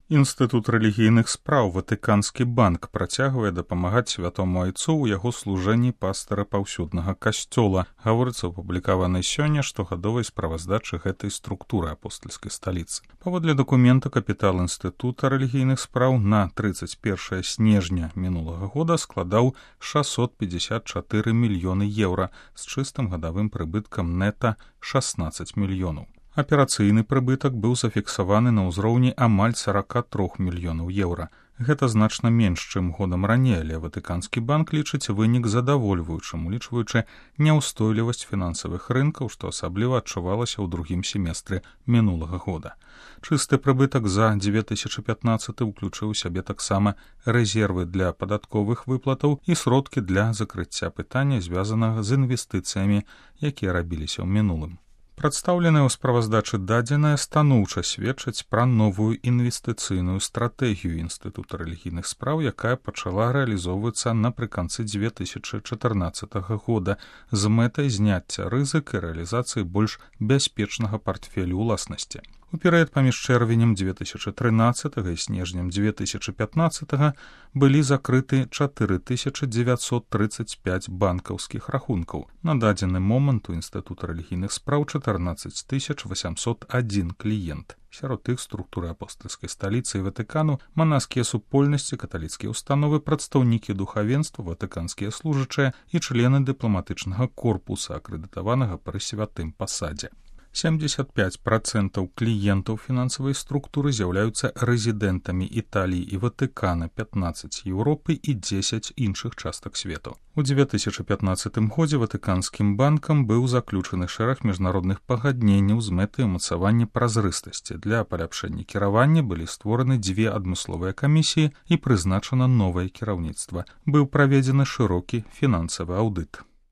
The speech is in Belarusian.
Інстытут рэлігійных спраў Ватыканскі банк працягвае дапамагаць святому айцу ў яго служэнні пастара паўсюднага касцёла. Гаворыцца ў публікаванай сёння штогадовай справаздачы гэтай структуры апостальскай сталіцы. Паводле дакумента капітал інстытута рэлігійных спраў на 31 снежня мінулага года складаў 654 мільёны еўра з чыстым гадавым прыбыткам нета 16 мільёнаў. Аперацыйны прыбытак быў зафіксаваны на ўзроўні амаль 43 мільёнаў еўра. Гэта значна менш, чым годам раней, але Ватыканскі банк лічыць вынік задавольваючым, улічваючы няўстойлівасць фінансавых рынкаў, што асабліва адчувалася ў другім семестры мінулага года. Чысты прыбытак за 2015 уключыў у сябе таксама рэзервы для падатковых выплатаў і сродкі для закрыцця пытання, звязанага з інвестыцыямі, якія рабіліся ў мінулым. Прадстаўленыя ў справаздачы дадзеныя станоўча сведчаць пра новую інвестыцыйную стратэгію Інстытута рэлігійных спраў, якая пачала рэалізоўвацца напрыканцы 2014 года з мэтай зняцця рызык і рэалізацыі больш бяспечнага партфелю ўласнасці. У перыяд паміж чэрвенем 2013 і снежнем 2015 былі закрыты 4935 банкаўскіх рахункаў. На дадзены момант у Інстытута рэлігійных спраў 14801 кліент. Сярод іх структуры апостальскай сталіцы і Ватыкану, манаскія супольнасці, каталіцкія установы, прадстаўнікі духавенства, ватыканскія служачыя і члены дыпламатычнага корпуса, акрэдытаванага пры святым пасадзе. 75% кліентаў фінансавай структуры з'яўляюцца рэзідэнтамі Італіі і Ватыкана, 15 Еўропы і 10 іншых частак свету. У 2015 годзе Ватыканскім банкам быў заключаны шэраг міжнародных пагадненняў з мэтай умацавання празрыстасці. Для паляпшэння кіравання былі створаны 2 адмысловыя камісіі і прызначана новае кіраўніцтва. Быў праведзены шырокі фінансавы аўдыт.